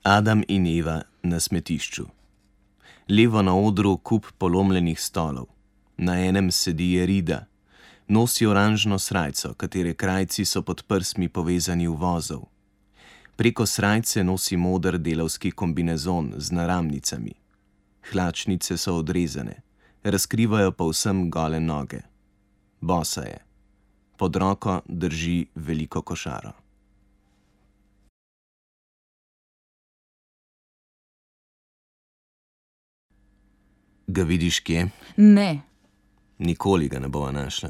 Adam in Eva na smetišču. Levo na odru kup polomljenih stolov. Na enem sedi Jerida. Nosi oranžno srajco, katere krajci so pod prsmi povezani v vozov. Preko srajce nosi moder delavski kombinezon z naramnicami. Hlačnice so odrezane, razkrivajo povsem gole noge. Bosa je. Pod roko drži veliko košaro. Ga vidiš kje? Ne. Nikoli ga ne bova našla.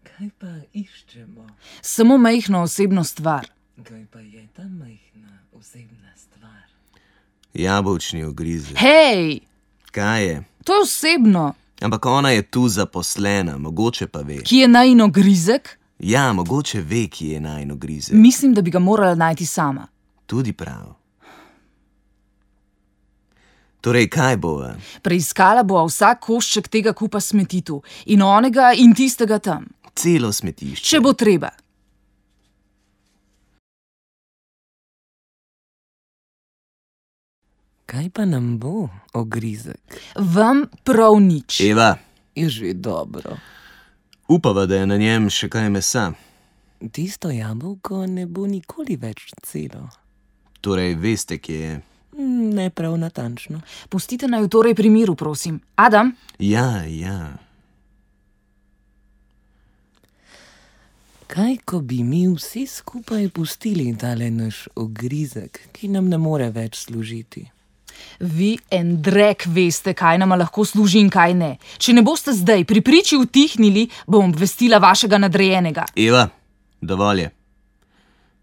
Kaj pa iščemo? Samo majhno osebno stvar. Kaj pa je ta majhna osebna stvar? Jabolčni ogrizek. Hej! Kaj je? To je osebno. Ampak ona je tu zaposlena, mogoče pa ve. Ki je najin ogrizek? Ja, mogoče ve, ki je najin ogrizek. Mislim, da bi ga morala najti sama. Tudi prav. Torej, kaj bova? Preiskala bova vsak košček tega kupa smeti tu. In onega in tistega tam. Celo smetišče. Če bo treba. Kaj pa nam bo ogrizek? Vam prav nič. Eva, Je že dobro. upava, da je na njem še kaj mesa. Tisto jabolko ne bo nikoli več celo. Torej, veste, kje je. Ne prav natančno. Pustite naj v torej pri miru, prosim. Adam? Ja. Kaj, ko bi mi vsi skupaj pustili tale naš ogrizek, ki nam ne more več služiti? Vi en drek veste, kaj nama lahko služi in kaj ne. Če ne boste zdaj pri priči utihnili, bom obvestila vašega nadrejenega. Eva, dovolj je.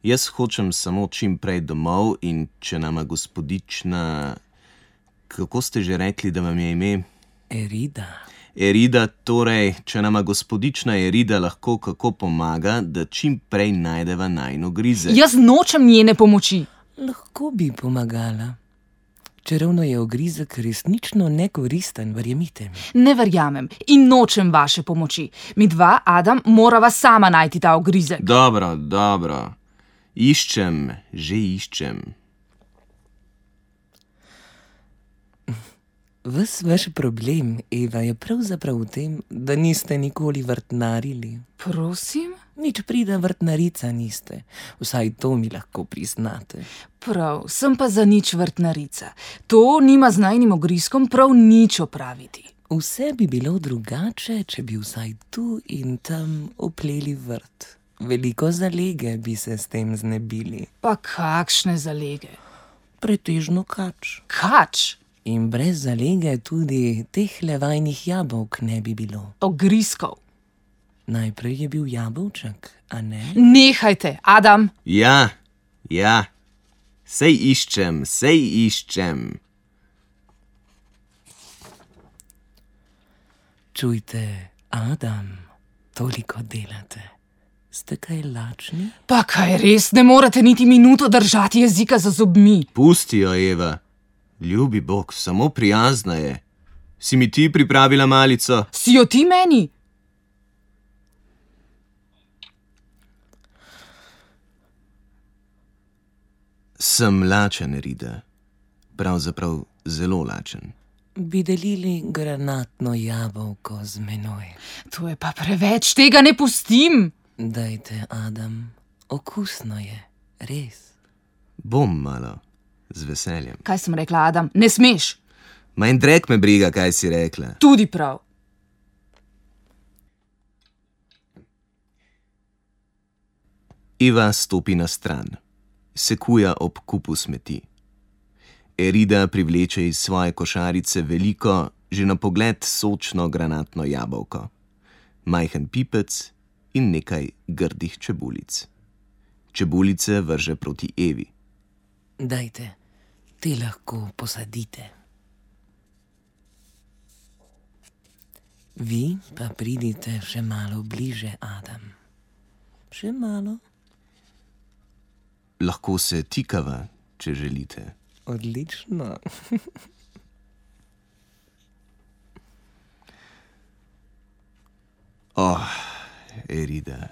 Jaz hočem samo čim prej domov in če nama gospodična... Kako ste že rekli, da vam je ime? Jerida. Jerida, torej, če nama gospodična Jerida lahko kako pomaga, da čim prej najdeva najin ogrizek. Jaz nočem njene pomoči. Lahko bi pomagala. Čeravno je ogrizek resnično nekoristen, verjemite mi. Ne verjamem in nočem vaše pomoči. Mi dva, Adam, morava sama najti ta ogrizek. Dobro. Iščem, že iščem. Ves vaš problem, Eva, je pravzaprav v tem, da niste nikoli vrtnarili. Prosim? Nič prida vrtnarica niste. Vsaj to mi lahko priznate. Prav, sem pa za nič vrtnarica. To nima z najnim ogrizkom prav nič opraviti. Vse bi bilo drugače, če bi vsaj tu in tam opleli vrt. Veliko zalege bi se s tem znebili. Pa kakšne zalege? Pretežno kač. Kač? In brez zalege tudi teh levajnih jabolk ne bi bilo. Ogrizkov. Najprej je bil jabolček, a ne? Nehajte, Adam. Ja. Sej iščem. Čujte, Adam, toliko delate. Ste kaj lačni? Pa kaj res, ne morete niti minuto držati jezika za zobmi. Pusti jo, Eva. Ljubi Bog, samo prijazna je. Si mi ti pripravila malico? Si jo ti meni? Sem lačen, Jerida. Pravzaprav zelo lačen. Bi delili granatno jabolko z menoj. To je pa preveč, tega ne pustim. Dajte, Adam, okusno je, res. Bom malo, z veseljem. Kaj sem rekla, Adam? Ne smeš. Manj drek me briga, kaj si rekla. Tudi prav. Eva stopi na stran. Sekuja ob kupu smeti. Jerida privleče iz svoje košarice veliko, že na pogled sočno granatno jabolko. Majhen pipec in nekaj grdih čebulic. Čebulice vrže proti Evi. Dajte, te lahko posadite. Vi pa pridite še malo bliže, Adam. Še malo. Lahko se tikava, če želite. Odlično. Jerida,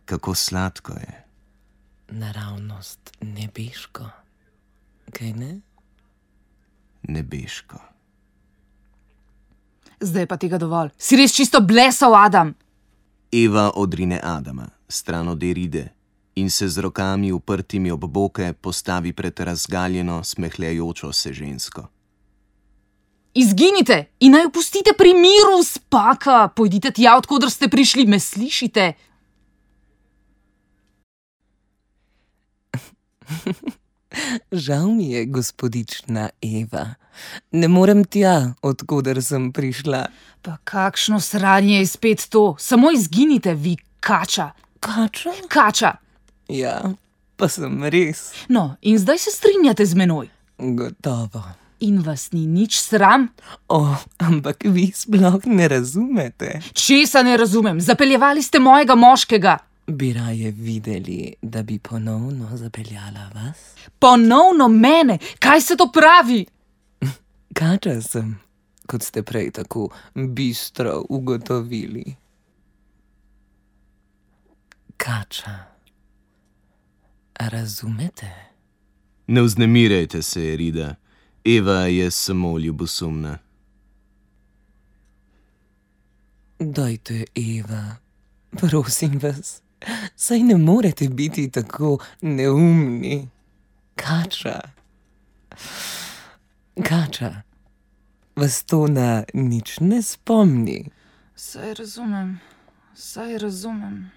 kako sladko je. Naravnost nebeško. kaj ne? Nebeško. Zdaj pa tega dovolj. Si res čisto blesal, Adam. Eva odrine Adama, stran od Eride, in se z rokami uprtimi ob boke postavi pred razgaljeno, smehljajočo se žensko. Izginite in naj opustite pri miru, spaka. Pojdite tja, odkudr ste prišli, me slišite? Žal mi je, gospodična Eva. Ne morem tja, odkudar sem prišla. Pa kakšno sranje je spet to? Samo izginite, vi kača. Kača? Kača. Ja, pa sem res. No, in zdaj se strinjate z menoj. Gotovo. In vas ni nič sram? Ampak vi sploh ne razumete. Česa ne razumem? Zapeljevali ste mojega moškega. Bi raje videli, da bi ponovno zapeljala vas? Ponovno mene? Kaj se to pravi? Kača sem, kot ste prej tako bistro ugotovili. Kača. Razumete? Ne vznemirjajte se, Erida. Eva je samo ljubosumna. Dajte, Eva, prosim vas, saj ne morete biti tako neumni. Kača. Kača, vas to na nič ne spomni. Saj razumem, saj razumem.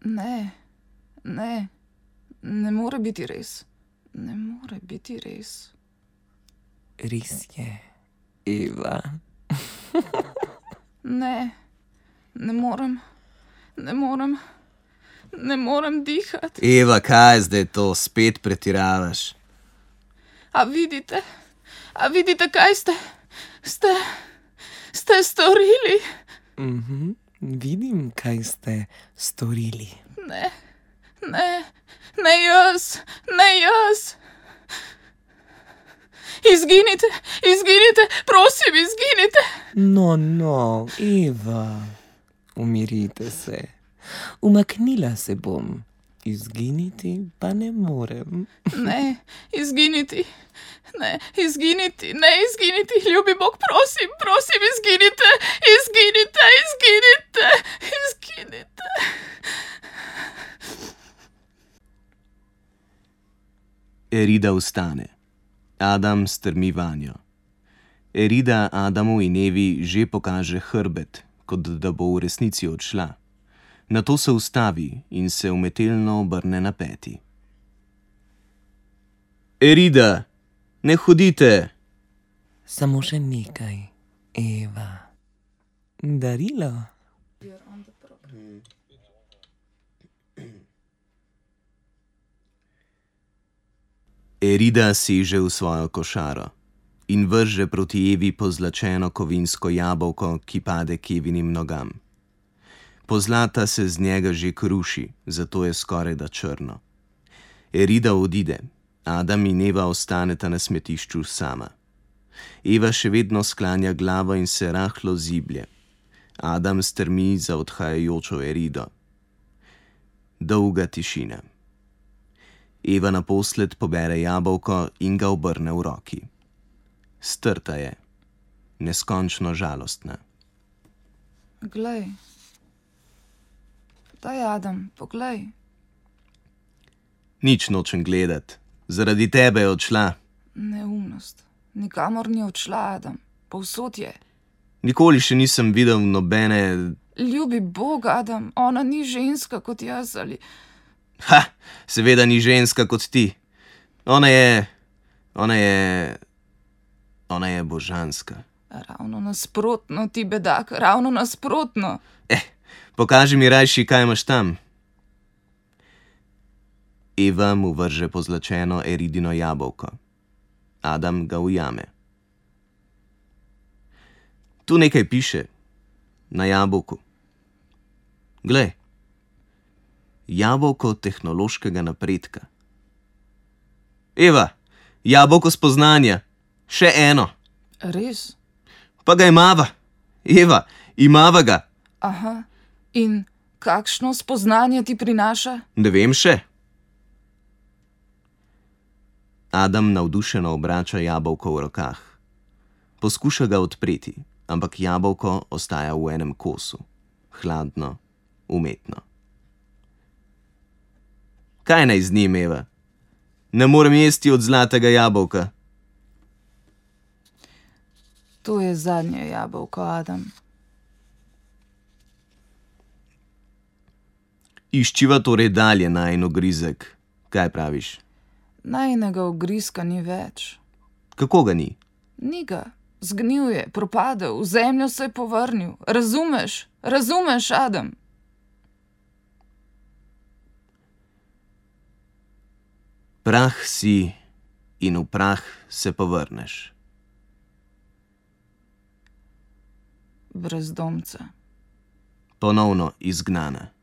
Ne more biti res. Ne more biti res. Res je, Eva. Ne morem dihati. Eva, kaj zdaj to? Spet pretiravaš. A vidite, kaj ste storili? Vidim, kaj ste storili. Ne jaz. Izginite, prosim, izginite. No, Eva, umirite se. Umaknila se bom. Izginiti pa ne morem. Ne izginiti, ljubi Bog, prosim, izginite. Erida vstane. Adam strmi vanjo. Erida Adamu in Evi že pokaže hrbet, kot da bo v resnici odšla. Nato se ustavi in se umetelno obrne na peti. Erida, ne hodite! Samo še nekaj, Eva. Darilo. Erida seže v svojo košaro in vrže proti Evi pozlačeno kovinsko jabolko, ki pade k Evinim nogam. Pozlata se z njega že kruši, zato je skorajda črno. Erida odide, Adam in Eva ostaneta na smetišču sama. Eva še vedno sklanja glavo in se rahlo ziblje. Adam strmi za odhajajočo Erido. Dolga tišina. Eva naposled pobere jabolko in ga obrne v roki. Strta je, neskončno žalostna. Glej. Daj, Adam, poglej. Nič nočem gledat. Zaradi tebe je odšla. Neumnost. Nikamor ni odšla, Adam. Povsod je. Nikoli še nisem videl nobene... Ljubi Bog, Adam, ona ni ženska kot jaz ali... Seveda ni ženska kot ti. Ona je božanska. Ravno nasprotno, ti bedak, ravno nasprotno. Pokaži mi rajši, kaj imaš tam. Eva mu vrže pozlačeno Eridino jabolko. Adam ga ujame. Tu nekaj piše. Na jabolku. Glej. Jabolko tehnološkega napredka. Eva, jabolko spoznanja. Še eno. Res? Pa ga imava. Eva, imava ga. Aha. In kakšno spoznanje ti prinaša? Ne vem še. Adam navdušeno obrača jabolko v rokah. Poskuša ga odpreti, ampak jabolko ostaja v enem kosu. Hladno, umetno. Kaj naj z njim, Eva? Ne morem jesti od zlatega jabolka. To je zadnje jabolko, Adam. Iščiva torej dalje najin ogrizek. Kaj praviš? Najinega ogrizka ni več. Kako ga ni? Ni ga. Zgnil je, propadel, v zemljo se je povrnil. Razumeš? Razumeš, Adam? Prah si in v prah se povrneš. Brezdomca. Ponovno izgnana.